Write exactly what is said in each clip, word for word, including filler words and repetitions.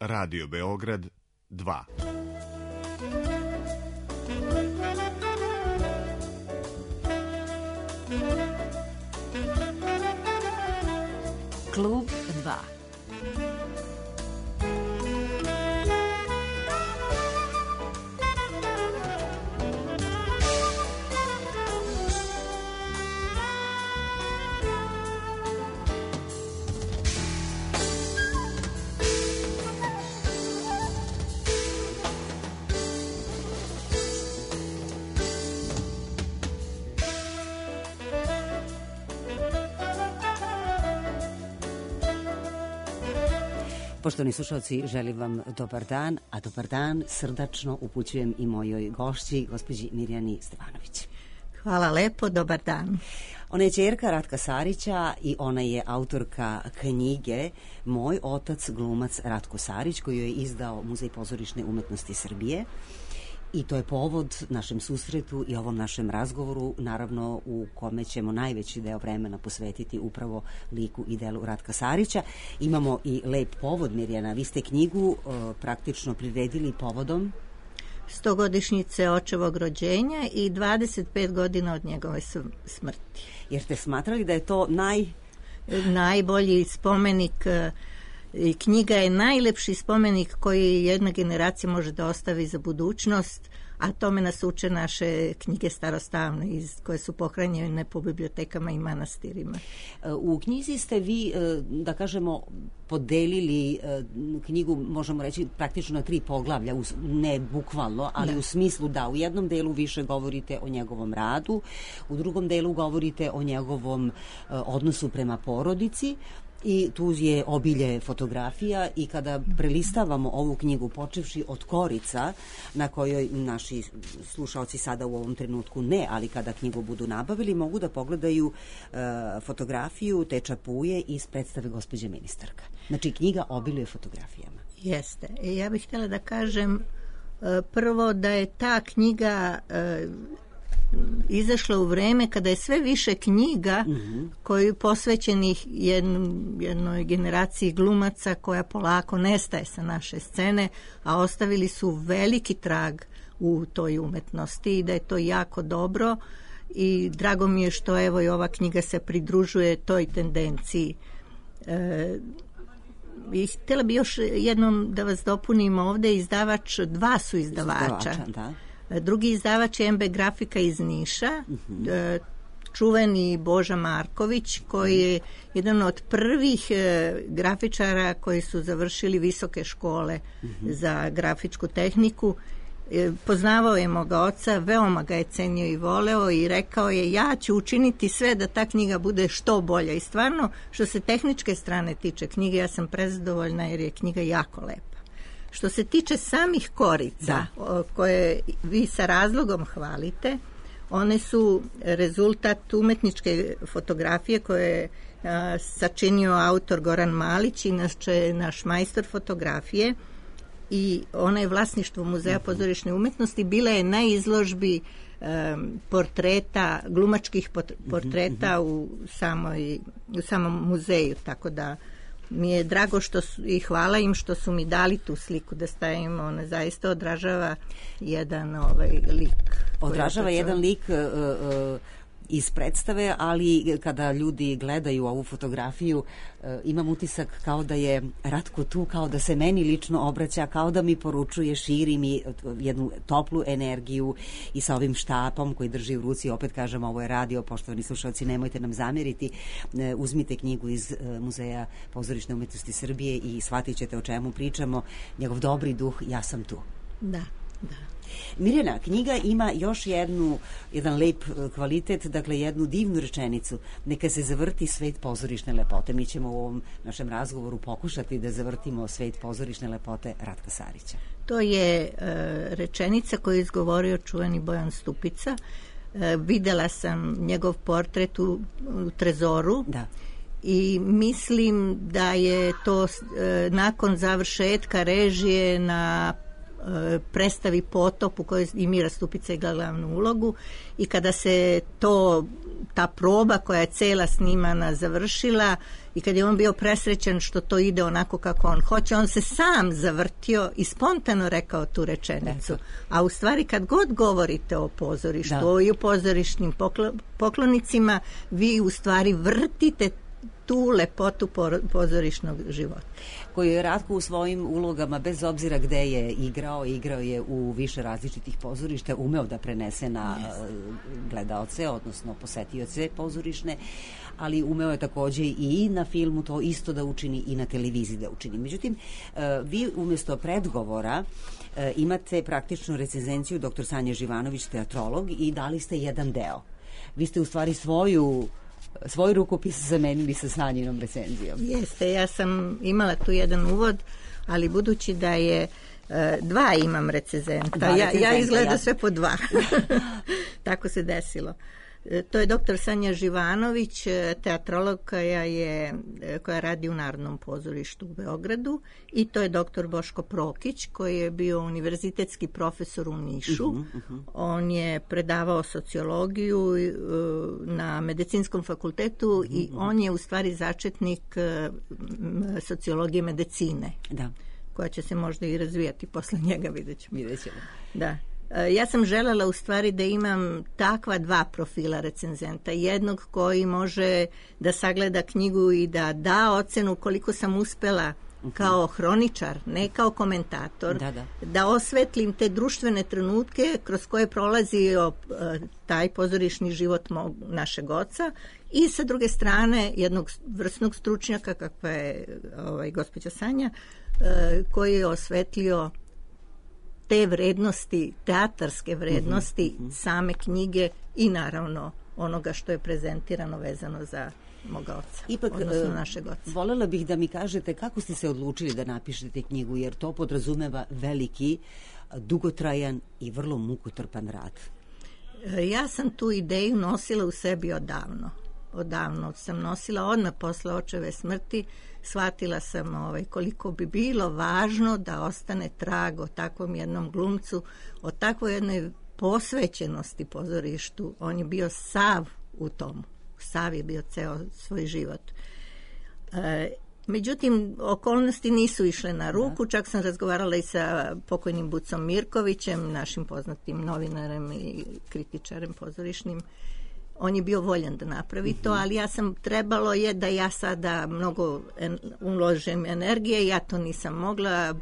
Radio Beograd dva. Klub dva. Poštovani slušalci, želim vam dobar dan, a dobar dan srdačno upućujem i mojoj gošći, gospođi Mirjani Stevanović. Hvala lepo, dobar dan. Ona je ćerka Ratka Sarića i ona je autorka knjige Moj otac, glumac Ratko Sarić, koju je izdao Muzej pozorišne umetnosti Srbije. I to je povod našem susretu i ovom našem razgovoru, naravno u kome ćemo najveći deo vremena posvetiti upravo liku i delu Ratka Sarića. Imamo i lep povod, Mirjana. Vi ste knjigu uh, praktično priredili povodom stogodišnjice očevog rođenja i dvadeset pet godina od njegove smrti. Jer ste smatrali da je to naj... najbolji spomenik. I knjiga je najlepši spomenik koji jedna generacija može da ostavi za budućnost, a tome nas uče naše knjige starostavne iz, koje su pohranjene po bibliotekama i manastirima. U knjizi ste vi, da kažemo, podelili knjigu, možemo reći, praktično na tri poglavlja, ne bukvalno, ali da. U smislu da u jednom delu više govorite o njegovom radu, u drugom delu govorite o njegovom odnosu prema porodici, i tu je obilje fotografija i kada prelistavamo ovu knjigu počevši od korica na kojoj naši slušaoci sada u ovom trenutku ne, ali kada knjigu budu nabavili mogu da pogledaju uh, fotografiju te čapuje iz predstave Gospođe ministarka. Znači knjiga obiluje fotografijama. Jeste. Ja bih htjela da kažem uh, prvo da je ta knjiga uh, izašla u vreme kada je sve više knjiga mm-hmm. koji posvećenih jedn, jednoj generaciji glumaca koja polako nestaje sa naše scene, a ostavili su veliki trag u toj umetnosti i da je to jako dobro i drago mi je što evo i ova knjiga se pridružuje toj tendenciji. E, i htjela bi još jednom da vas dopunim ovde, izdavač, dva su izdavača. Izdavača, da. Drugi izdavač je em be Grafika iz Niša, uh-huh. čuveni Boža Marković, koji je jedan od prvih grafičara koji su završili visoke škole uh-huh. za grafičku tehniku. Poznavao je moga oca, veoma ga je cenio i voleo i rekao je ja ću učiniti sve da ta knjiga bude što bolja. I stvarno, što se tehničke strane tiče knjige, ja sam prezadovoljna jer je knjiga jako lepa. Što se tiče samih korica da. koje vi sa razlogom hvalite, one su rezultat umetničke fotografije koje je a, sačinio autor Goran Malić, inače naš majstor fotografije, i ona je vlasništvo Muzeja pozorišne umetnosti. Bila je na izložbi um, portreta, glumačkih portreta u, samoj, u samom muzeju, tako da mi je drago što su, i hvala im što su mi dali tu sliku da stavimo. Ona zaista odražava jedan ovaj lik. Odražava jedan lik uh, uh, iz predstave, ali kada ljudi gledaju ovu fotografiju uh, imam utisak kao da je Ratko tu, kao da se meni lično obraća, kao da mi poručuje, širi mi jednu toplu energiju i sa ovim štapom koji drži u ruci, opet kažem, ovo je radio, poštovani slušalci, nemojte nam zamjeriti, uh, uzmite knjigu iz uh, Muzeja pozorišne umetnosti Srbije i shvatit ćete o čemu pričamo, njegov dobri duh, ja sam tu. Da, da. Mirjana, knjiga ima još jednu, jedan lep kvalitet, dakle jednu divnu rečenicu. Neka se zavrti svet pozorišne lepote. Mi ćemo u ovom našem razgovoru pokušati da zavrtimo svet pozorišne lepote Ratka Sarića. To je e, rečenica koju je izgovorio čuveni Bojan Stupica. E, videla sam njegov portret u, u Trezoru. Da. I mislim da je to e, nakon završetka režije na predstavi Potop u kojoj i Mira Stupica igra glavnu ulogu i kada se to, ta proba koja je cela snimana završila i kad je on bio presrećen što to ide onako kako on hoće, on se sam zavrtio i spontano rekao tu rečenicu. Eto. A u stvari kad god govorite o pozorištu, da. I o pozorišnim poklonicima, vi u stvari vrtite tu lepotu pozorišnog života. Koji je Ratko u svojim ulogama, bez obzira gde je igrao, igrao je u više različitih pozorišta, umeo da prenese na yes. gledaoce, odnosno posetioce pozorišne, ali umeo je takođe i na filmu to isto da učini i na televiziji da učini. Međutim, vi umjesto predgovora imate praktičnu recenzenciju doktor Sanje Živanović, teatrolog, i dali ste jedan deo. Vi ste u stvari svoju svoj rukopis zamenili sa Sanjinom recenzijom. Jeste, ja sam imala tu jedan uvod, ali budući da je e, dva imam recenzenta, dva ja, ja izgleda ja. sve po dva. Tako se desilo. E, to je doktor Sanja Živanović, teatrolog koja, je, koja radi u Narodnom pozorištu u Beogradu, i to je doktor Boško Prokić koji je bio univerzitetski profesor u Nišu. Uh-huh, uh-huh. On je predavao sociologiju uh, na medicinskom fakultetu uh-huh. i on je u stvari začetnik uh, sociologije medicine. Da. Koja će se možda i razvijati posle njega, vidjet ćemo. Vidjet ćemo. Da. Ja sam želela u stvari da imam takva dva profila recenzenta. Jednog koji može da sagleda knjigu i da da ocenu koliko sam uspela kao hroničar, ne kao komentator, da, da. da osvetlim te društvene trenutke kroz koje prolazi o, taj pozorišni život mog, našeg oca, i sa druge strane jednog vrsnog stručnjaka kakva je ovaj, gospođa Sanja, koji je osvetlio te vrednosti, teatarske vrednosti uh-huh, uh-huh. same knjige i naravno onoga što je prezentirano vezano za moga oca, Ipak, odnosno našeg oca. Volela bih da mi kažete kako ste se odlučili da napišete knjigu, jer to podrazumeva veliki, dugotrajan i vrlo mukotrpan rad. Ja sam tu ideju nosila u sebi odavno. Odavno sam nosila odmah posle očeve smrti. Shvatila sam ovaj, koliko bi bilo važno da ostane trag o takvom jednom glumcu, o takvoj jednoj posvećenosti pozorištu. On je bio sav u tomu. Sav je bio ceo svoj život. E, međutim, okolnosti nisu išle na ruku. Čak sam razgovarala i sa pokojnim Bucom Mirkovićem, našim poznatim novinarem i kritičarem pozorišnim. On je bio voljan da napravi to, ali ja sam, trebalo je da ja sada mnogo en, uložim energije, ja to nisam mogla,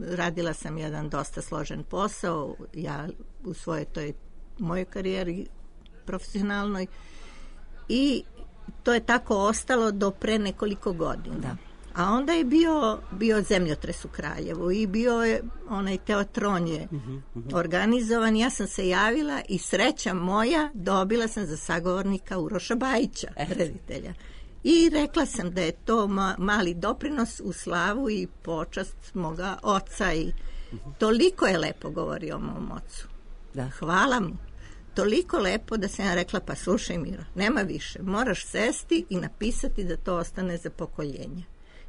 radila sam jedan dosta složen posao, ja u svojoj toj mojoj karijeri profesionalnoj, i to je tako ostalo do pre nekoliko godina. Da. A onda je bio, bio zemljotres u Kraljevu i bio je onaj teatron je uh-huh, uh-huh. organizovan. Ja sam se javila i sreća moja, dobila sam za sagovornika Uroša Bajića, reditelja. I rekla sam da je to ma, mali doprinos u slavu i počast moga oca. I uh-huh. toliko je lepo govorio o mom ocu. Da. Hvala mu. Toliko lepo da sam ja rekla, pa slušaj Miro, nema više. Moraš sesti i napisati da to ostane za pokoljenje.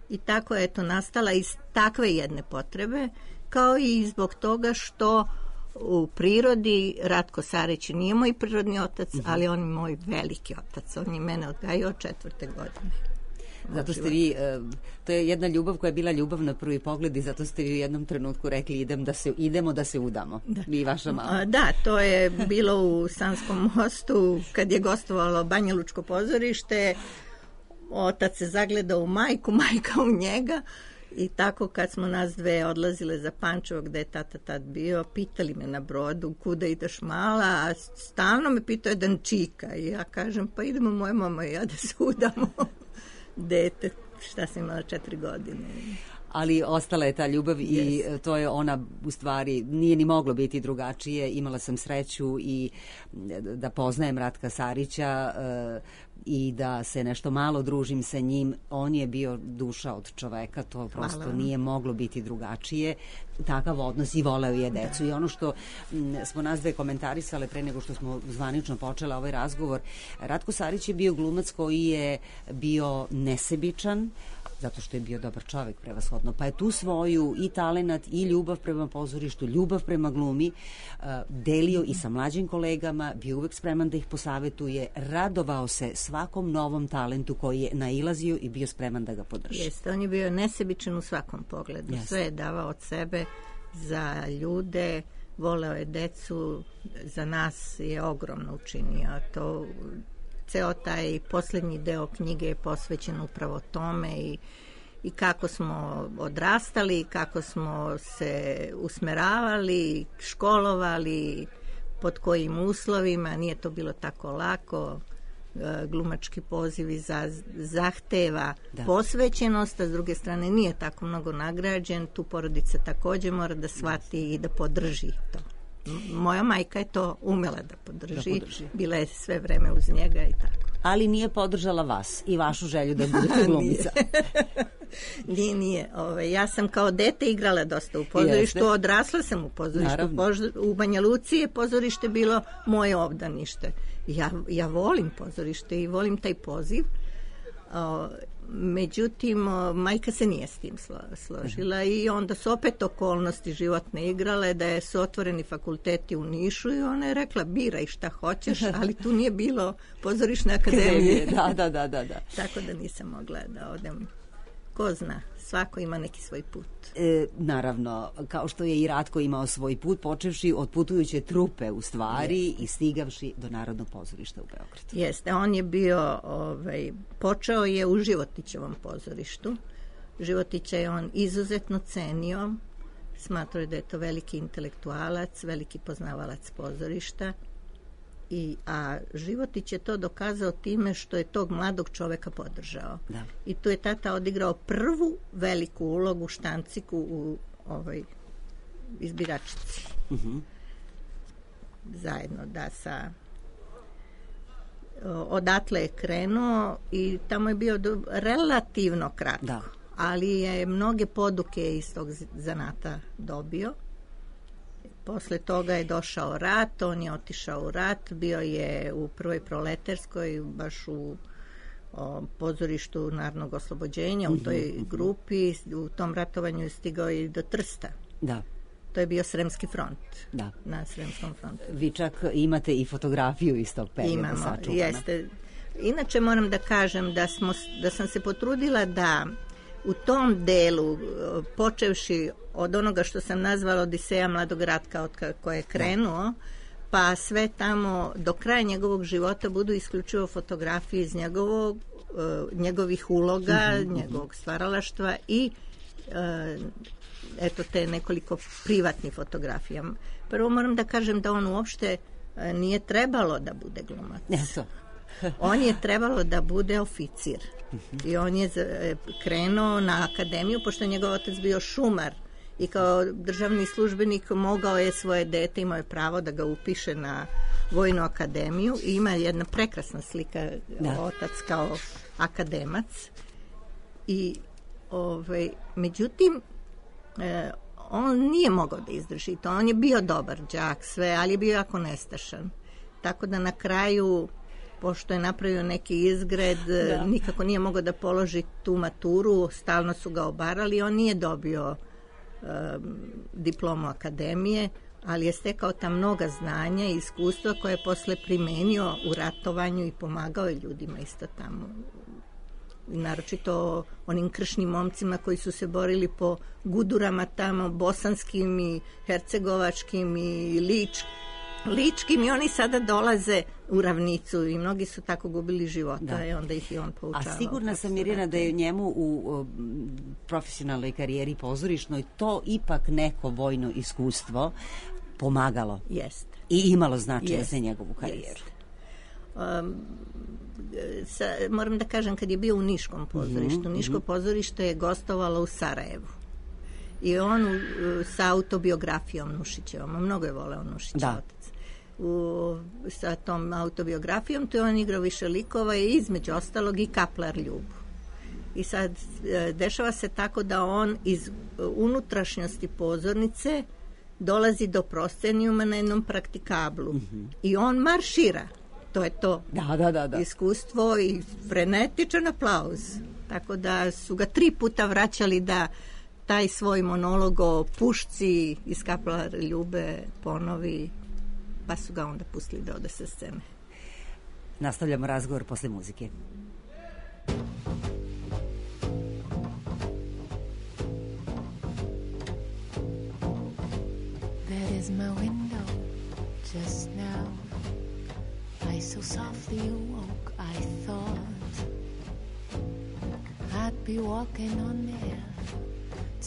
I tako je to nastala iz takve jedne potrebe, kao i zbog toga što u prirodi Ratko Sarić nije moj prirodni otac, mm-hmm. ali on je moj veliki otac. On je mene odgajao od četvrte godine. Zato ste vi, to je jedna ljubav koja je bila ljubav na prvi pogled, i zato ste vi u jednom trenutku rekli idem da se, idemo da se udamo. Da. Vi i vaša mama. Da, to je bilo u Sanskom mostu kad je gostovalo Banja Lučko pozorište. Otac se zagledao u majku, majka u njega, i tako kad smo nas dve odlazile za Pančevo gde je tata tad bio, pitali me na brodu kuda ideš mala, a stalno me pitao jedan čika, i ja kažem pa idemo moja mama i ja da se udamo. Dete, šta sam imala, četiri godine. Ali ostala je ta ljubav yes. i to je ona, u stvari, nije ni moglo biti drugačije. Imala sam sreću i da poznajem Ratka Sarića. i da se nešto malo družim sa njim. On je bio duša od čoveka, to prosto Hvala. Nije moglo biti drugačije. Takav odnos i voleo je decu. Da. I ono što m, smo nas dve komentarisale pre nego što smo zvanično počeli ovaj razgovor, Ratko Sarić je bio glumac koji je bio nesebičan, zato što je bio dobar čovek prevashodno, pa je tu svoju i talenat i ljubav prema pozorištu, ljubav prema glumi uh, delio i sa mlađim kolegama, bio uvek spreman da ih posavetuje, radovao se svakom novom talentu koji je nailazio i bio spreman da ga podrži. Jeste, on je bio nesebičan u svakom pogledu. Jeste. Sve je davao od sebe za ljude, voleo je decu, za nas je ogromno učinio. To ceo taj poslednji deo knjige je posvećen upravo tome i, i kako smo odrastali, kako smo se usmeravali, školovali, pod kojim uslovima. Nije to bilo tako lako. Glumački pozivi za, zahteva da. posvećenost, a s druge strane nije tako mnogo nagrađen. Tu porodica takođe mora da shvati i da podrži to. Moja majka je to umela da podrži, da podrži. Bila je sve vreme uz njega i tako. Ali nije podržala vas i vašu želju da budete glumica. nije, nije. Ove, ja sam kao dete igrala dosta u pozorištu, Jeste. odrasla sam u pozorištu. Pož, u Banja Luci je pozorište bilo moje obdanište. Ja, ja volim pozorište i volim taj poziv. O, međutim, o, majka se nije s tim slo, složila uh-huh. i onda su opet okolnosti životne igrale, da je su otvoreni fakulteti u Nišu i ona je rekla biraj šta hoćeš, ali tu nije bilo pozorišne akademije. da, da, da, da, da. Tako da nisam mogla da odem. Ko zna, svako ima neki svoj put. E, naravno, kao što je i Ratko imao svoj put, počevši od putujuće trupe u stvari Jeste. i stigavši do Narodnog pozorišta u Beogradu. Jeste, on je bio, ovaj, počeo je u Životićevom pozorištu. Životića je on izuzetno cenio, smatrao je da je to veliki intelektualac, veliki poznavalac pozorišta. I, a Životić je to dokazao time što je tog mladog čoveka podržao. Da. I tu je tata odigrao prvu veliku ulogu Štanciku u ovoj izbiračici. Uh-huh. Zajedno da sa odatle je krenuo i tamo je bio do, relativno kratko. Da. Ali je mnoge poduke iz tog zanata dobio. Posle toga je došao rat, on je otišao u rat, bio je u prvoj proletarskoj, baš u o, pozorištu Narodnog oslobođenja, u toj grupi, u tom ratovanju je stigao i do Trsta. Da. To je bio Sremski front. Da. Na Sremskom frontu. Vi čak imate i fotografiju iz tog perioda. Imamo, sačuvana. Jeste. Inače moram da kažem da, smo, da sam se potrudila da u tom delu, počevši od onoga što sam nazvala Odiseja mladog Ratka od koje je krenuo, pa sve tamo do kraja njegovog života budu isključivo fotografije iz njegovog, njegovih uloga, mm-hmm. njegovog stvaralaštva i eto te nekoliko privatnih fotografija. Prvo moram da kažem da on uopšte nije trebalo da bude glumac. Eto. On je trebalo da bude oficir. Uh-huh. I on je krenuo na akademiju, pošto je njegov otac bio šumar i kao državni službenik mogao je svoje dete, imao je pravo da ga upiše na vojnu akademiju i ima jedna prekrasna slika da. Otac kao akademac. I ovaj, međutim e, on nije mogao da izdrži to. On je bio dobar đak, sve, ali je bio jako nestašan. Tako da na kraju, pošto je napravio neki izgred, da. nikako nije mogao da položi tu maturu, stalno su ga obarali, on nije dobio um, diplomu akademije, ali je stekao ta mnoga znanja i iskustva koje je posle primenio u ratovanju i pomagao je ljudima isto tamo. Naročito onim kršnim momcima koji su se borili po gudurama tamo, bosanskim i hercegovačkim i ličkim. ličkim i oni sada dolaze u ravnicu i mnogi su tako gubili života da. I onda ih i on poučavao. A sigurna sam, Mirjana, da je njemu u o, profesionalnoj karijeri pozorišnoj to ipak neko vojno iskustvo pomagalo. Jeste. I imalo značaja za njegovu karijeru. Um, sa, moram da kažem, kad je bio u Niškom pozorištu, mm-hmm. Niško pozorište je gostovalo u Sarajevu. I on u, sa autobiografijom Nušićevom, mnogo je voleo Nušića da. Otac. u, sa tom autobiografijom, tu je on igrao više likova i između ostalog i kaplar Ljubu. I sad e, dešava se tako da on iz unutrašnjosti pozornice dolazi do proscenijuma na jednom praktikablu. Mm-hmm. I on maršira. To je to. Da, da, da, da. Iskustvo i frenetičan aplauz. Tako da su ga tri puta vraćali da taj svoj monolog o pušci iz kaplar Ljube ponovi, pa su ga onda pustili da ode sa scene. Nastavljamo razgovor posle muzike. That is my window just now. I so softly awoke, I thought I'd be walking on air.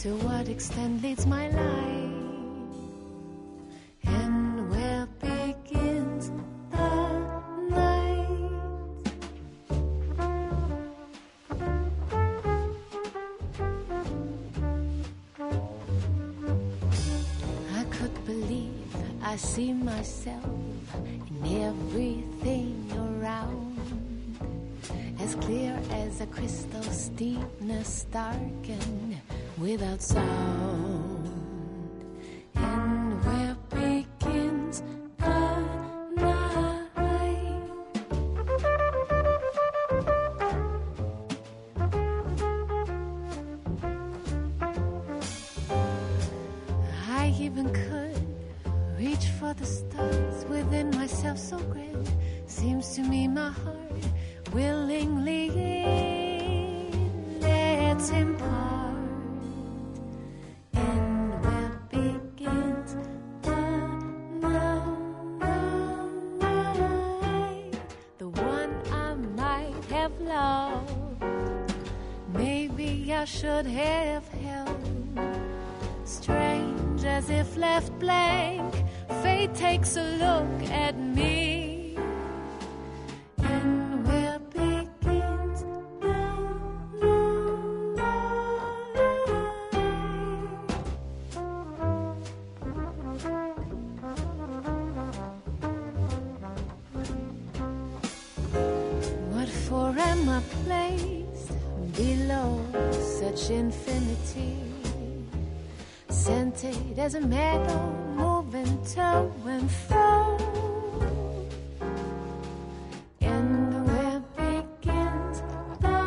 To what extent leads my life? And where begins the night? I could believe I see myself in everything around, as clear as a crystal's deepness darkened without sound. And where begins the night? I even could reach for the stars within myself so grand. Seems to me my heart willingly lets him part. I should have held. Strange as if left blank, fate takes a look at me. And where begins the night? What for am I placed below such infinity, scented as a meadow, moving to and fro? And where begins the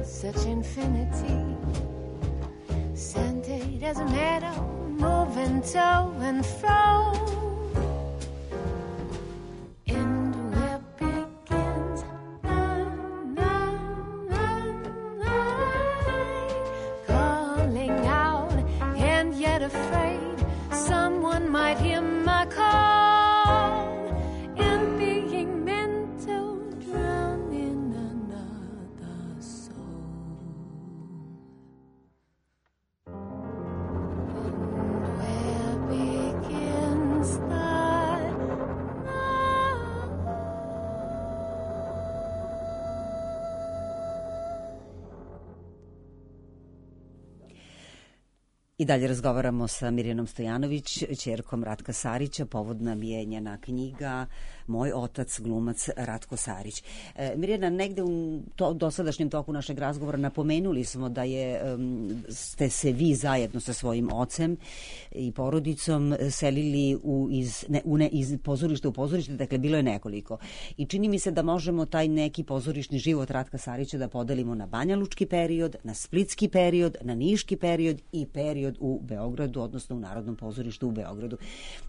such infinity, scented as a meadow, moving to and fro. And where begins the night? Calling out, and yet afraid someone might hear my call. I dalje razgovaramo sa Mirjanom Stojanović, ćerkom Ratka Sarića. Povod nam je njena knjiga Moj otac, glumac Ratko Sarić. E, Mirjana, negde u to, dosadašnjem toku našeg razgovora napomenuli smo da je um, ste se vi zajedno sa svojim ocem i porodicom selili u, iz, ne, u ne, iz pozorišta u pozorište, dakle bilo je nekoliko. I čini mi se da možemo taj neki pozorišni život Ratka Sarića da podelimo na banjalučki period, na splitski period, na niški period i period u Beogradu, odnosno u Narodnom pozorištu u Beogradu.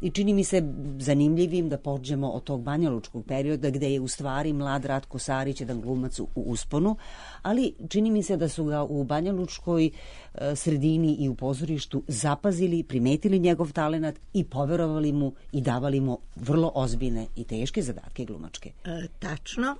I čini mi se zanimljivim da pođemo od tog banjalučkog perioda gde je u stvari mlad Ratko Sarić jedan glumac u usponu, ali čini mi se da su ga u banjalučkoj sredini i u pozorištu zapazili, primetili njegov talenat i poverovali mu i davali mu vrlo ozbiljne i teške zadatke glumačke. E, tačno.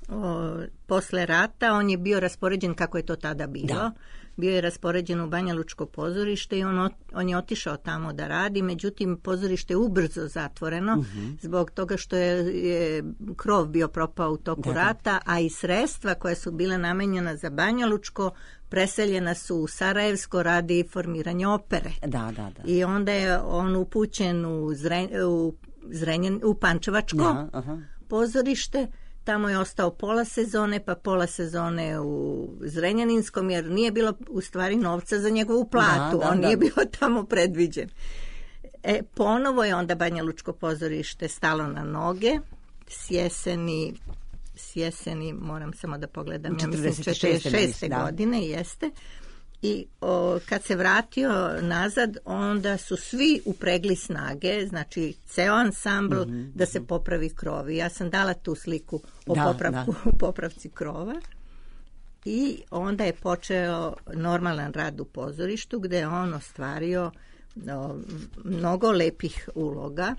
O, posle rata on je bio raspoređen kako je to tada bilo. Da. Bio je raspoređen u Banjalučko pozorište i on, on je otišao tamo da radi, međutim pozorište je ubrzo zatvoreno uh-huh. zbog toga što je, je krov bio propao u toku da, rata, da. A i sredstva koja su bile namenjena za Banjalučko preseljena su u Sarajevsko radi formiranje opere. Da, da, da. I onda je on upućen u, Zren, u, Zrenjan, u Pančevačko da, uh-huh. pozorište. Tamo je ostao pola sezone, pa pola sezone u Zrenjaninskom, jer nije bilo u stvari novca za njegovu platu. Da, da, on da. Nije bio tamo predviđen. E, ponovo je onda Banjalučko pozorište stalo na noge. S jeseni, s jeseni moram samo da pogledam, ja mislim četrdeset šeste godine, jeste. I o, kad se vratio nazad, onda su svi upregli snage, znači ceo ansambl, mm-hmm. da se popravi krovi. Ja sam dala tu sliku o da, popravku, da. popravci krova. I onda je počeo normalan rad u pozorištu, gde je on ostvario no, mnogo lepih uloga.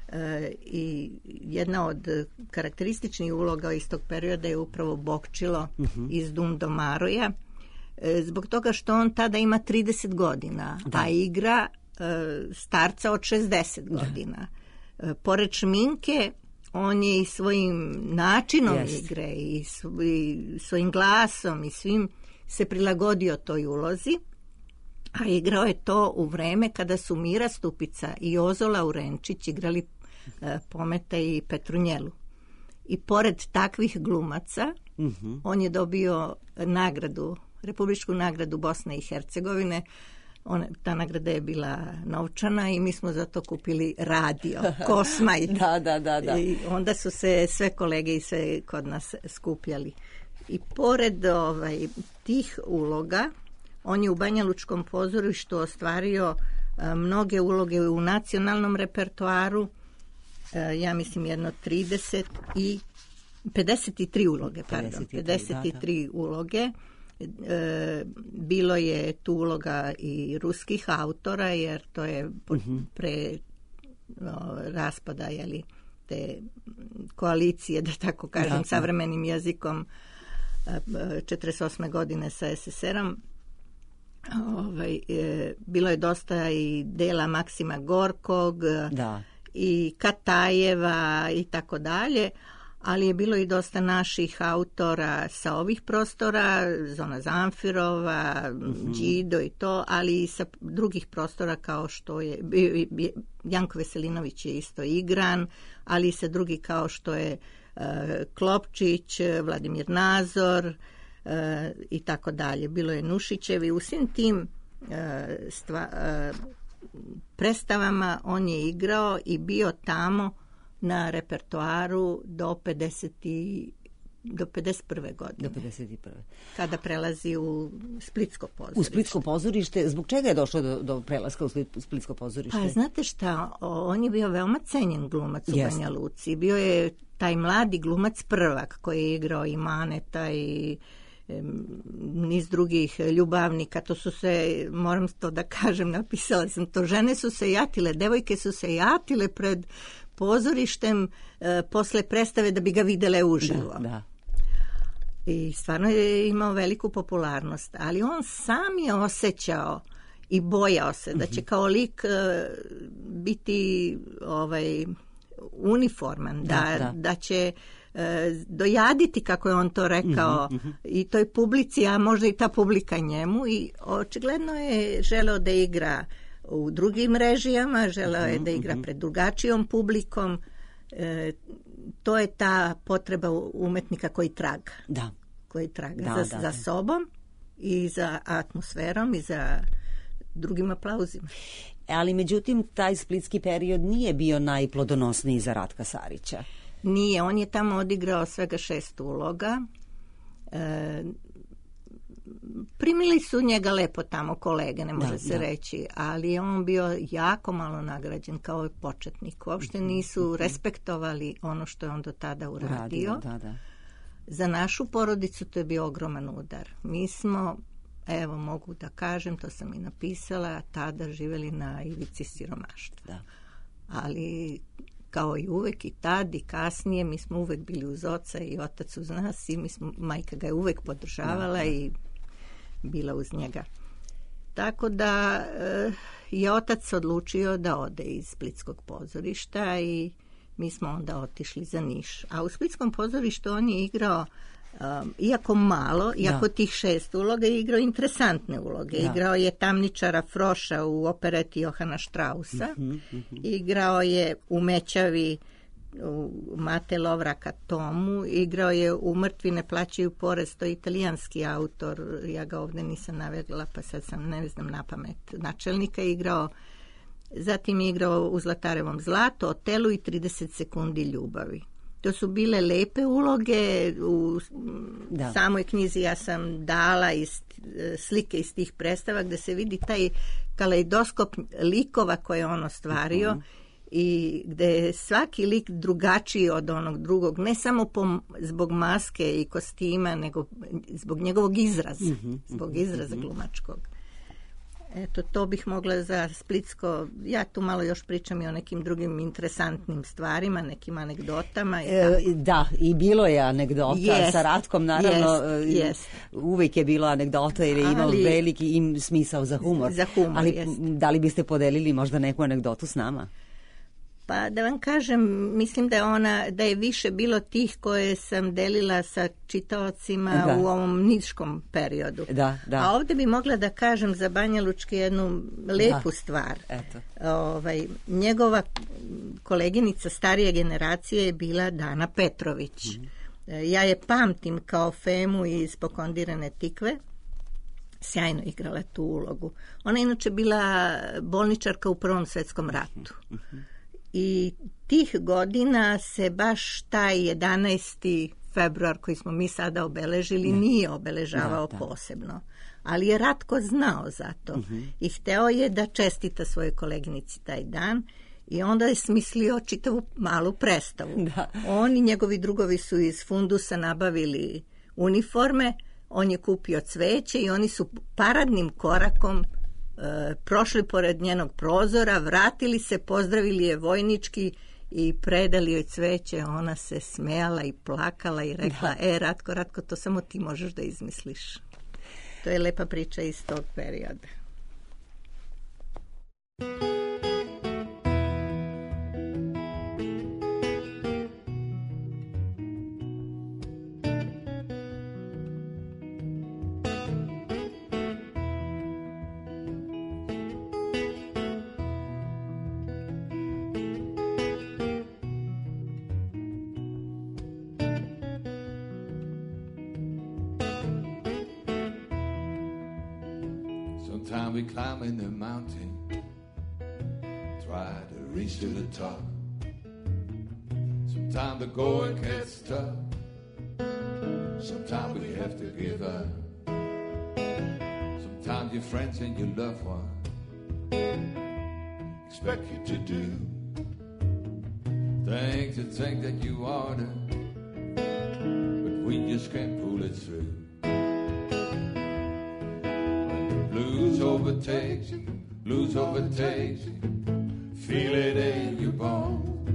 E, I jedna od karakterističnih uloga iz tog perioda je upravo Bokčilo mm-hmm. iz Dum do Maroja. Zbog toga što on tada ima trideset godina, da. A igra e, starca od šezdeset godina. E, pored šminke, on je i svojim načinom yes. igre i, svo, i svojim glasom i svim se prilagodio toj ulozi, a igrao je to u vreme kada su Mira Stupica i Jozo Laurenčić igrali e, Pometa i Petrunjelu. I pored takvih glumaca, mm-hmm. on je dobio nagradu Republičku nagradu Bosne i Hercegovine. Ona, ta nagrada je bila novčana i mi smo zato kupili radio, Kosmaj. da, da, da, da. I onda su se sve kolege i sve kod nas skupljali. I pored ovaj, tih uloga, on je u Banjalučkom pozorištu ostvario a, mnoge uloge u nacionalnom repertoaru, a, ja mislim jedno trideset i pedeset tri uloge, pardon, pedeset tri, pedeset tri da, da. uloge. E, bilo je tu uloga i ruskih autora, jer to je pre o, raspada jeli, te koalicije, da tako kažem, da, savremenim jezikom četrdeset osme godine sa es es erom. Ovaj, e, bilo je dosta i dela Maksima Gorkog da. I Katajeva i tako dalje, ali je bilo i dosta naših autora sa ovih prostora, Zona Zamfirova, mm-hmm. Đido i to, ali i sa drugih prostora kao što je, Janko Veselinović je isto igran, ali i sa drugih kao što je uh, Klopčić, Vladimir Nazor uh, i tako dalje. Bilo je Nušićevi. U svim tim uh, stva, uh, predstavama on je igrao i bio tamo na repertoaru do pedeset do pedeset prve godine. Do pedeset prve Kada prelazi u Splitsko pozorište. U Splitsko pozorište. Zbog čega je došlo do, do prelaska u Splitsko pozorište? Pa znate šta, on je bio veoma cenjen glumac u Banja Luci. Bio je taj mladi glumac Prvak koji je igrao i Maneta i niz drugih ljubavnika. To su se, moram to da kažem, napisala sam to, žene su se jatile, devojke su se jatile pred pozorištem e, posle predstave da bi ga videle uživo. Da, da. I stvarno je imao veliku popularnost, ali on sam je osjećao i bojao se da će kao lik e, biti ovaj uniforman, da, da, da. da će dojaditi, kako je on to rekao, mm-hmm. i toj publici, a možda i ta publika njemu, i očigledno je želeo da igra u drugim režijama, želeo je da igra pred drugačijom publikom. E, to je ta potreba umetnika koji traga. Da. Koji traga da, za, da, za da. sobom i za atmosferom i za drugim aplauzima. Ali međutim, taj splitski period nije bio najplodonosniji za Ratka Sarića. Nije, on je tamo odigrao svega šest uloga. E, primili su njega lepo tamo kolege, ne može da, se da. reći, ali je on bio jako malo nagrađen kao početnik. Uopšte nisu respektovali ono što je on do tada uradio. Radio, da, da. Za našu porodicu to je bio ogroman udar. Mi smo, evo mogu da kažem, to sam i napisala, tada živjeli na ivici siromaštva. Da. Ali kao i uvek i tad i kasnije, mi smo uvek bili uz oca i otac uz nas i mi smo, majka ga je uvek podržavala da, da. i bila uz njega. Tako da je otac odlučio da ode iz Splitskog pozorišta i mi smo onda otišli za Niš. A u Splitskom pozorištu on je igrao, um, iako malo, iako da. tih šest uloga, je igrao interesantne uloge. Da. Igrao je tamničara Froša u opereti Johana Straussa, mm-hmm, mm-hmm. igrao je u Mećavi u Mate Lovraka Tomu, igrao je u Mrtvi ne plaćaju porez, to je italijanski autor, ja ga ovdje nisam navela, pa sad sam, ne znam na pamet, načelnika je igrao. Zatim je igrao u Zlatarevom zlatu, Otelu i trideset sekundi ljubavi. To su bile lepe uloge. U da. samoj knjizi ja sam dala iz, slike iz tih predstava gde se vidi taj kaleidoskop likova koje je on ostvario uh-huh. i gde je svaki lik drugačiji od onog drugog, ne samo po, zbog maske i kostima, nego zbog njegovog izraza, uh-huh. zbog izraza uh-huh. glumačkog. Eto, to bih mogla za Splitsko, ja tu malo još pričam i o nekim drugim interesantnim stvarima, nekim anegdotama. I e, da, i bilo je anegdota yes, sa Ratkom, naravno, yes, yes. uvijek je bilo anegdota jer je imao ali, veliki im smisao za humor. Za humor, ali yes. da li biste podelili možda neku anegdotu s nama? Pa da vam kažem, mislim da je ona, da je više bilo tih koje sam delila sa čitaocima da. u ovom niškom periodu. Da, da. A ovdje bi mogla da kažem za Banja Lučke jednu lepu da. stvar. Eto. Ovaj, njegova koleginica starije generacije je bila Dana Petrović. Mm-hmm. Ja je pamtim kao Femu iz Pokondirane tikve. Sjajno igrala tu ulogu. Ona je inače bila bolničarka u Prvom svetskom ratu. Mm-hmm. I tih godina se baš taj jedanaesti februar koji smo mi sada obeležili ne. nije obeležavao da, da. posebno. Ali je Ratko znao za to uh-huh. i hteo je da čestita svojoj koleginici taj dan i onda je smislio čitavu malu predstavu. Da. On i njegovi drugovi su iz fundusa nabavili uniforme, on je kupio cveće i oni su paradnim korakom E, prošli pored njenog prozora, vratili se, pozdravili je vojnički i predali joj cveće. Ona se smejala i plakala i rekla, da. e, Ratko, Ratko, to samo ti možeš da izmisliš. To je lepa priča iz tog perioda. Sometimes we climb in the mountain, try to reach to the top. Sometimes the going gets tough, sometimes we have to give up. Sometimes your friends and your loved ones expect you to do things that think that you ought to, but we just can't pull it through. Blues overtakes you, blues overtakes you, feel it in your bones.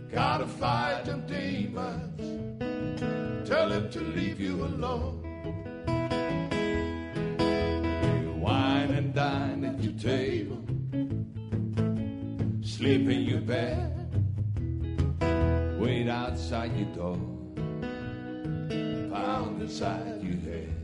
Gotta fight them demons, tell them to leave you alone. You wine and dine at your table, sleep in your bed, outside your door, pound inside your head.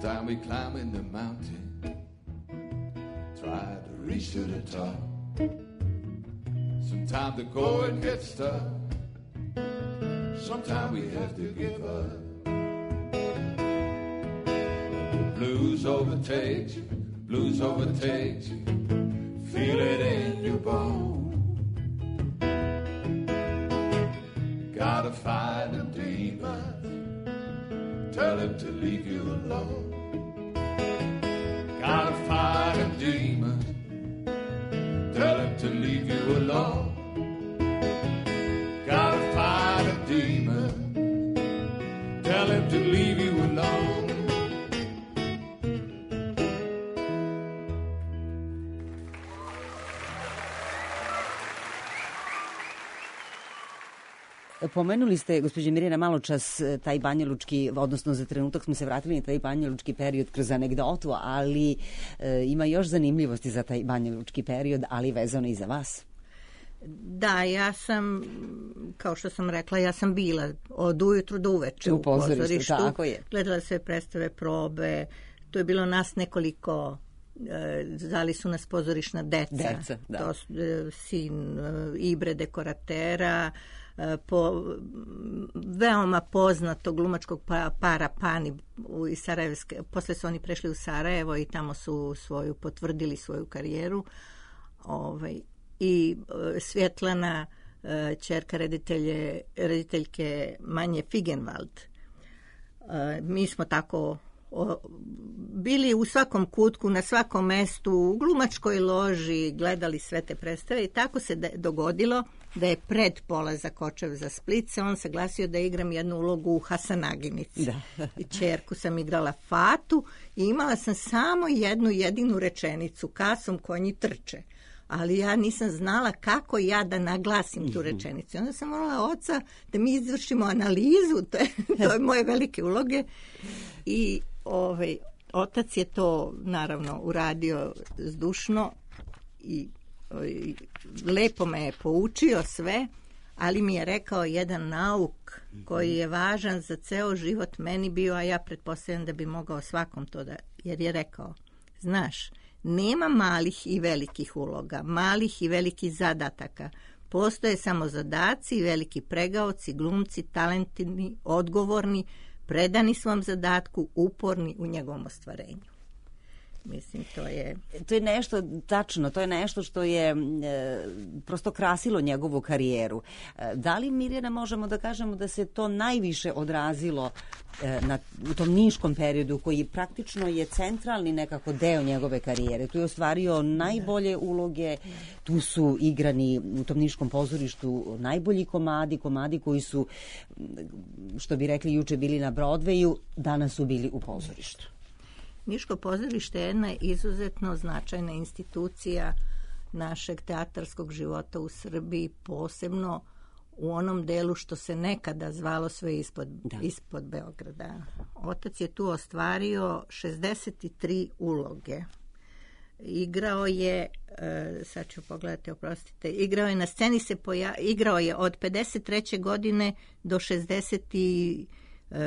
Sometimes we climbing the mountain, try to reach to the top. Sometimes the going gets tough, sometimes we have to give up. The blues overtakes you, blues overtakes you, feel it in your bone. Gotta fight them demons, tell him to leave you alone. Gotta fight them demons, tell him to leave you alone. Gotta fight them demons, tell him to leave you alone. Pomenuli ste, gospođe Mirjana, malo čas taj banjalučki, odnosno za trenutak smo se vratili na taj banjalučki period kroz anegdotu, ali e, ima još zanimljivosti za taj banjalučki period, ali vezano i za vas. Da, ja sam, kao što sam rekla, ja sam bila od ujutru do uveče u, u pozorištu, pozorištu. Tako je. Gledala sve predstave, probe, to je bilo nas nekoliko, e, zvali su nas pozorišna deca. Deca, da. To su e, sin e, Ibre dekoratera, po veoma poznatog glumačkog para Pani iz Sarajevske. Posle su oni prešli u Sarajevo i tamo su svoju potvrdili svoju karijeru. Ovaj, i Svjetlana, ćerka reditelje, rediteljke Manje Figenwald. Mi smo tako o, bili u svakom kutku, na svakom mestu, u glumačkoj loži, gledali sve te predstave i tako se de, dogodilo da je pred polazak očev za Split se on saglasio da igram jednu ulogu u Hasanaginici. Da. I ćerku sam igrala Fatu i imala sam samo jednu jedinu rečenicu, kasom konji trče. Ali ja nisam znala kako ja da naglasim tu rečenicu. Onda sam morala oca da mi izvršimo analizu te, to je moje velike uloge. I ovaj, otac je to naravno uradio zdušno i, i lepo me je poučio sve, ali mi je rekao jedan nauk koji je važan za ceo život meni bio, a ja pretpostavljam da bi mogao svakom to da, jer je rekao, znaš, nema malih i velikih uloga, malih i velikih zadataka. Postoje samo zadaci i veliki pregaoci, glumci, talentni, odgovorni, predani svom zadatku, uporni u njegovom ostvarenju. Mislim, to je... To je nešto, tačno, to je nešto što je e, prosto krasilo njegovu karijeru. E, da li, Mirjana, možemo da kažemo da se to najviše odrazilo e, na, u tom niškom periodu koji praktično je centralni nekako deo njegove karijere? Tu je ostvario najbolje uloge, tu su igrani u tom niškom pozorištu najbolji komadi, komadi koji su, što bi rekli juče, bili na Broadwayu, danas su bili u pozorištu. Niško pozorište je jedna izuzetno značajna institucija našeg teatarskog života u Srbiji, posebno u onom delu što se nekada zvalo sve ispod, ispod Beograda. Otac je tu ostvario šezdeset tri uloge. Igrao je, sad ću pogledati, oprostite, igrao je na sceni, se poja, igrao je od pedeset treće godine do šezdeset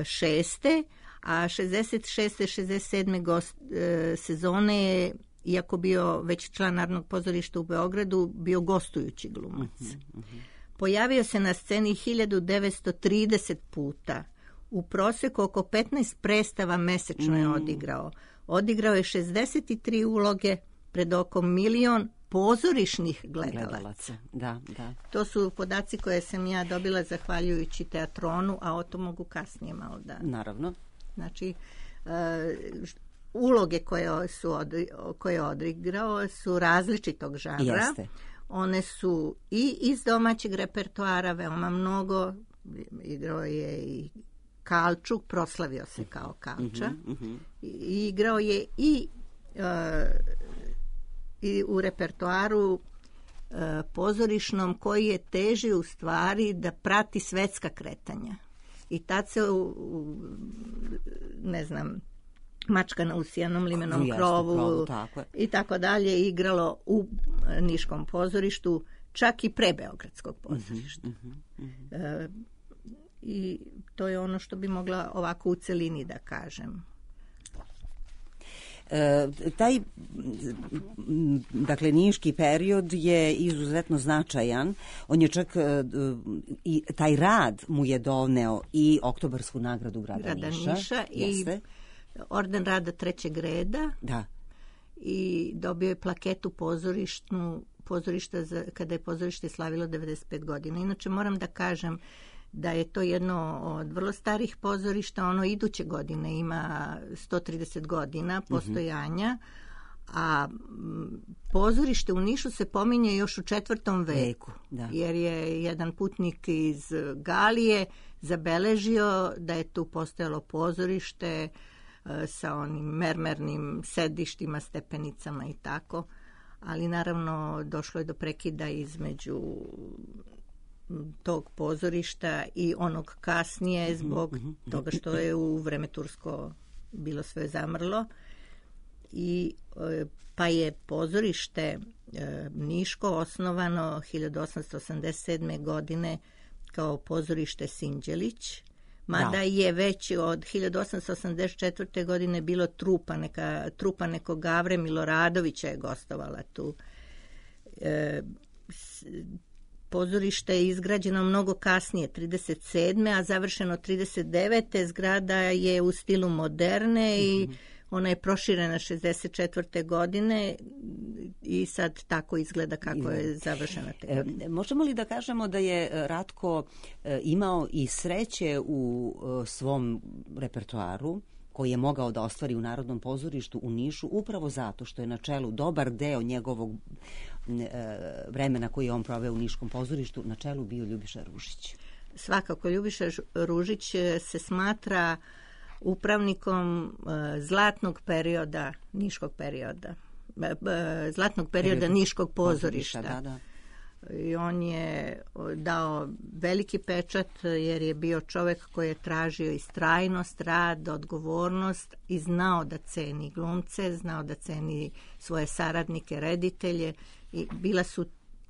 šeste a šezdeset šeste šezdeset sedme gost, e, sezone je, iako bio već član Narodnog pozorišta u Beogradu, bio gostujući glumac. Uh-huh, uh-huh. Pojavio se na sceni hiljadu devetsto trideset puta. U proseku oko petnaest predstava mesečno je odigrao. Odigrao je šezdeset tri uloge pred oko milion pozorišnih gledalaca. gledalaca. Da, da. To su podaci koje sam ja dobila zahvaljujući teatronu, a o to mogu kasnije malo da... Naravno. Znači, uh, uloge koje su od, koje je odigrao su različitog žanra. Jeste. One su i iz domaćeg repertoara veoma mnogo, igrao je i Kalčuk, proslavio se kao Kalča. Mm-hmm. I, igrao je i, uh, i u repertoaru uh, pozorišnom koji je teži u stvari da prati svetska kretanja. I tad se u, u ne znam, Mačka na usijanom limenom Jeste, krovu, krovu tako i tako dalje igralo u Niškom pozorištu, čak i pre Beogradskog pozorišta. Mm-hmm, mm-hmm. E, I to je ono što bi mogla ovako u celini da kažem. E, taj dakle niški period je izuzetno značajan. On je čak e, i taj rad mu je doneo i Oktobarsku nagradu grada, grada Niša, Niša i orden rada trećeg reda. Da. I dobio je plaketu pozorišnu pozorišta za, kada je pozorište slavilo devedeset pet godina. Inače moram da kažem da je to jedno od vrlo starih pozorišta, ono iduće godine ima sto trideset godina postojanja, a pozorište u Nišu se pominje još u četvrtom veku, da. Jer je jedan putnik iz Galije zabeležio da je tu postojalo pozorište sa onim mermernim sedištima, stepenicama i tako, ali naravno došlo je do prekida između tog pozorišta i onog kasnije zbog toga što je u vreme tursko bilo sve zamrlo, i pa je pozorište Niško osnovano hiljadu osamsto osamdeset sedme. godine kao pozorište Sinđelić, mada da. je već od hiljadu osamsto osamdeset četvrte. godine bilo trupa, neka, trupa nekog Gavre Miloradovića je gostovala tu. E, s, pozorište je izgrađeno mnogo kasnije, trideset sedme. a završeno trideset devete. Zgrada je u stilu moderne i mm-hmm. ona je proširena šezdeset četvrte. godine i sad tako izgleda kako je završena te godine. E, možemo li da kažemo da je Ratko e, imao i sreće u e, svom repertoaru koji je mogao da ostvari u Narodnom pozorištu u Nišu upravo zato što je na čelu dobar deo njegovog e, vremena koji je on proveo u Niškom pozorištu, na čelu bio Ljubiša Ružić? Svakako, Ljubiša Ružić se smatra upravnikom e, zlatnog perioda, Niškog perioda, e, e, zlatnog perioda Period. Niškog pozorišta. Da, da. I on je dao veliki pečat jer je bio čovek koji je tražio istrajnost, rad, odgovornost i znao da ceni glumce, znao da ceni svoje saradnike, reditelje, i bila su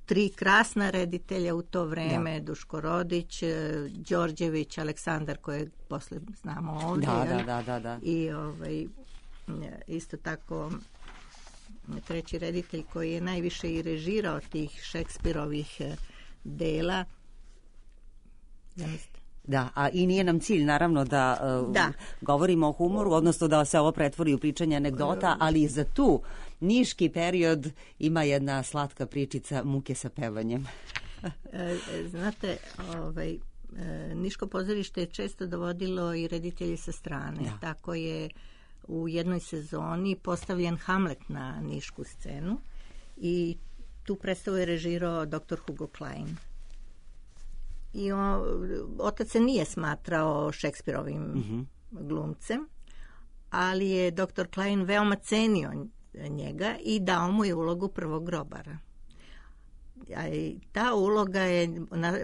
tri krasna reditelja u to vreme, da. Duško Rodić, Đorđević, Aleksandar, kojeg posle znamo ovdje. Da, da, da, da, da. I ovaj, isto tako treći reditelj koji je najviše i režirao tih Šekspirovih dela. Zamislite. Da, a i nije nam cilj naravno da, da. Uh, govorimo o humoru, odnosno da se ovo pretvori u pričanje anegdota, ali za tu niški period ima jedna slatka pričica muke sa pevanjem. Znate, ovaj, Niško pozorište je često dovodilo i reditelji sa strane. Da. Tako je u jednoj sezoni postavljen Hamlet na nišku scenu i tu predstavu je režirao doktor Hugo Klein. I on, otac se nije smatrao Šekspirovim mm-hmm. glumcem, ali je doktor Klein veoma cenio njega i dao mu je ulogu prvog grobara. A ta uloga je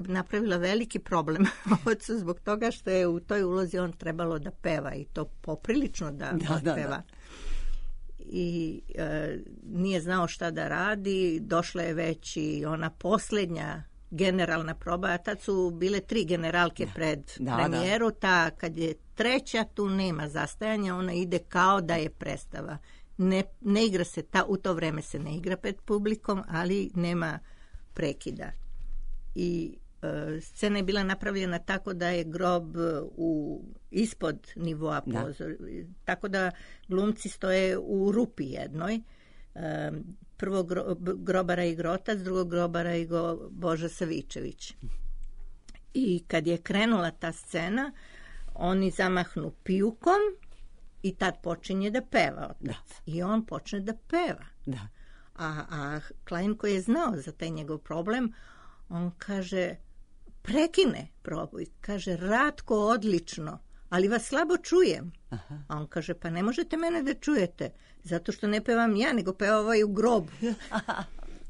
napravila veliki problem ocu zbog toga što je u toj ulozi on trebalo da peva i to poprilično da, da, da peva. Da. I e, nije znao šta da radi, došla je već i ona posljednja generalna proba, a tad su bile tri generalke da. pred da, premijeru, ta kad je treća tu nema zastajanja, ona ide kao da je predstava. Ne, ne igra se, ta, u to vreme se ne igra pred publikom, ali nema prekida. I e, scena je bila napravljena tako da je grob u, ispod nivoa pozor, tako da glumci stoje u rupi jednoj. E, prvo gro, grobara i Grotac, drugog grobara i go Boža Savičević. I kad je krenula ta scena, oni zamahnu pijukom i tad počinje da peva otac. Da. I on počne da peva. Da. A, a Klein koji je znao za taj njegov problem, on kaže, prekine proboj. Kaže, Ratko, odlično, ali vas slabo čujem. Aha. A on kaže, pa ne možete mene da čujete, zato što ne pevam ja, nego peva ovaj u grobu.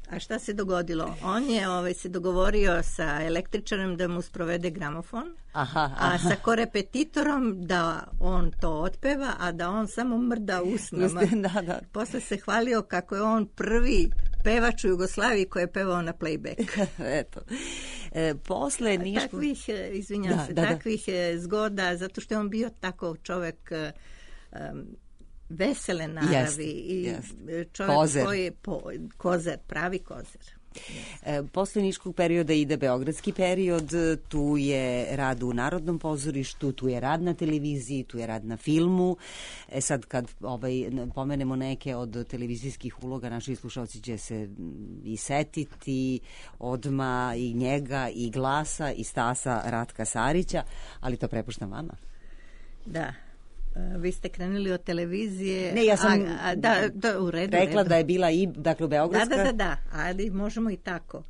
A šta se dogodilo? On je ovaj, se dogovorio sa električarem da mu sprovede gramofon, aha, aha. a sa korepetitorom da on to otpeva, a da on samo mrda usnama. Da, da. Posle se hvalio kako je on prvi pevač u Jugoslaviji koji je pevao na playback. Eto. E, posle Nišku... Takvih, izvinjam da, se, da, takvih da. zgoda, zato što je on bio tako čovek... Um, vesele naravi jest, i jest. čovjek kozer. koji je po, kozer, pravi kozer. E, posle Niškog perioda ide beogradski period, tu je rad u Narodnom pozorištu, tu je rad na televiziji, tu je rad na filmu. E sad kad ovaj, pomenemo neke od televizijskih uloga, naši slušalci će se i setiti odma i njega i glasa i Stasa Ratka Sarića, ali to prepuštam vama. Da. Vi ste krenuli od televizije. Ne, ja sam a, a, da, da, u redu, rekla redu. da je bila i, dakle, beogradska. Da, da, da, da, ali možemo i tako.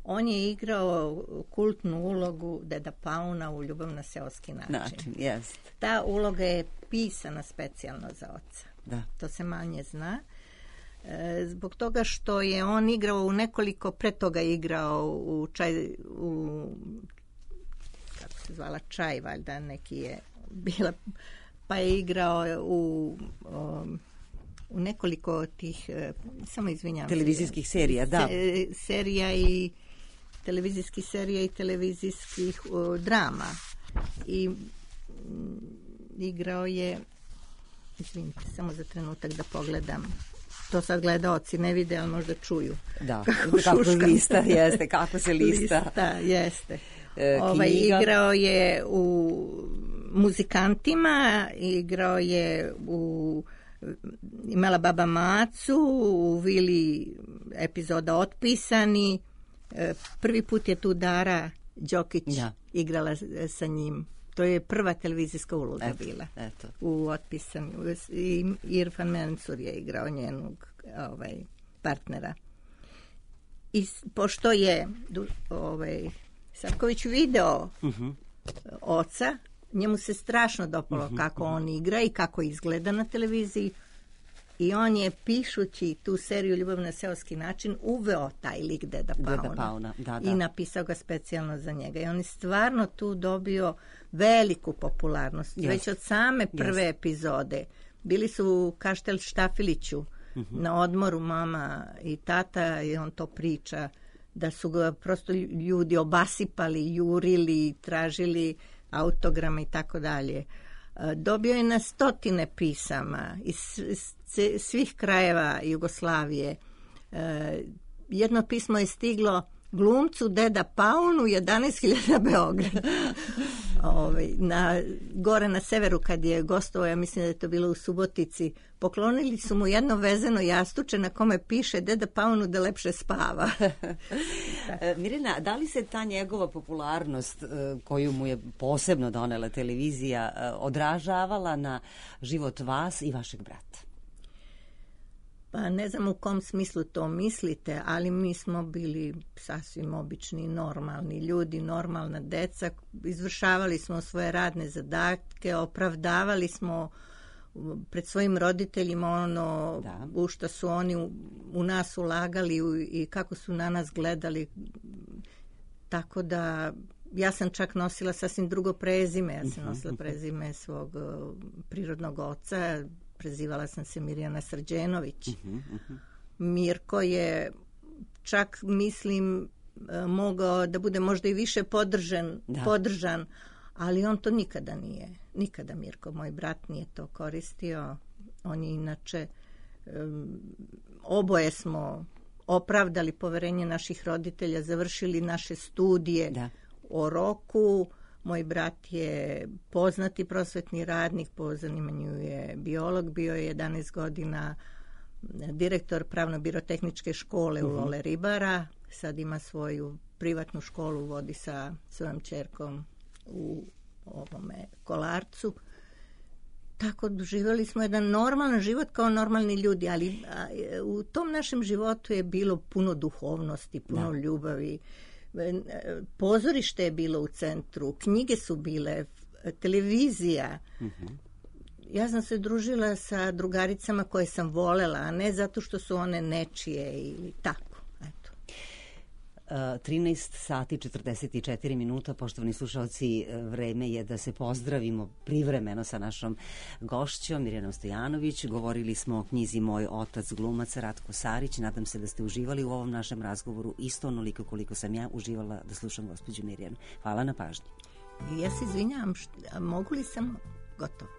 On je igrao kultnu ulogu Deda Pauna u Ljubav na seoski način. Način, jest. Ta uloga je pisana specijalno za oca. Da. To se manje zna. E, zbog toga što je on igrao u nekoliko, pre toga igrao u čaj, u, kako se zvala, Čaj, valjda neki je bila... pa je igrao u, um, u nekoliko tih, samo izvinjam televizijskih se, serija, da. Se, serija i televizijskih serija i televizijskih uh, drama. I m, igrao je, izvinite, samo za trenutak da pogledam. To sad gledaoci ne vide, ali možda čuju. Da, kako, kako lista, jeste, kako se lista. Lista, jeste. E, ovaj, igrao je u Muzikantima, igrao je u Imala baba Macu, u Vili epizoda Otpisani. Prvi put je tu Dara Đokić ja. igrala sa njim. To je prva televizijska uloga eto, bila. Eto. U Otpisani. I Irfan Mensur je igrao njenog ovaj, partnera. I pošto je ovaj, Savković video uh-huh. oca, njemu se strašno dopalo uh-huh, kako uh-huh. on igra i kako izgleda na televiziji i on je, pišući tu seriju Ljubav na seoski način, uveo taj lik Deda Pauna, Deda Pauna. Da, da. I napisao ga specijalno za njega. I on je stvarno tu dobio veliku popularnost. Yes. Već od same prve yes. epizode. Bili su u Kaštel Štafiliću uh-huh. na odmoru mama i tata i on to priča da su ga prosto ljudi obasipali, jurili, tražili autograma i tako dalje. Dobio je na stotine pisama iz svih krajeva Jugoslavije. Jedno pismo je stiglo glumcu Deda Paunu, jedanaest hiljada Beograd. Ove, na, gore na severu kad je gostovao, ja mislim da je to bilo u Subotici, poklonili su mu jedno vezeno jastuče na kome piše Deda Paunu da lepše spava. Mirjana, da li se ta njegova popularnost koju mu je posebno donela televizija odražavala na život vas i vašeg brata? Pa ne znam u kom smislu to mislite, ali mi smo bili sasvim obični, normalni ljudi, normalna deca. Izvršavali smo svoje radne zadatke, opravdavali smo pred svojim roditeljima ono da. u što su oni u, u nas ulagali u, i kako su na nas gledali. Tako da ja sam čak nosila sasvim drugo prezime. Ja sam nosila prezime svog uh, prirodnog oca. Prezivala sam se Mirjana Srđenović. Uh-huh, uh-huh. Mirko je čak, mislim, mogao da bude možda i više podržan, da. podržan, ali on to nikada nije. Nikada Mirko, moj brat, nije to koristio. On je inače, um, oboje smo opravdali poverenje naših roditelja, završili naše studije da. o roku. Moj brat je poznati prosvetni radnik, po zanimanju je biolog, bio je jedanaest godina direktor pravno-birotehničke škole uh-huh. u Lole Ribara, sad ima svoju privatnu školu, vodi sa svojom ćerkom u ovome Kolarcu. Tako doživjeli smo jedan normalan život kao normalni ljudi, ali a, u tom našem životu je bilo puno duhovnosti, puno da. ljubavi. pozorište je bilo u centru, knjige su bile, televizija. Mm-hmm. Ja sam se družila sa drugaricama koje sam volela, a ne zato što su one nečije ili tako. Eto. trinaest sati četrdeset četiri minuta, poštovani slušalci, vreme je da se pozdravimo privremeno sa našom gošćom Mirjanom Stojanović. Govorili smo o knjizi Moj otac glumac Ratko Sarić. Nadam se da ste uživali u ovom našem razgovoru isto onoliko koliko sam ja uživala da slušam gospođu Mirjanu. Hvala na pažnji. Ja se izvinjam, mogu li sam gotovo?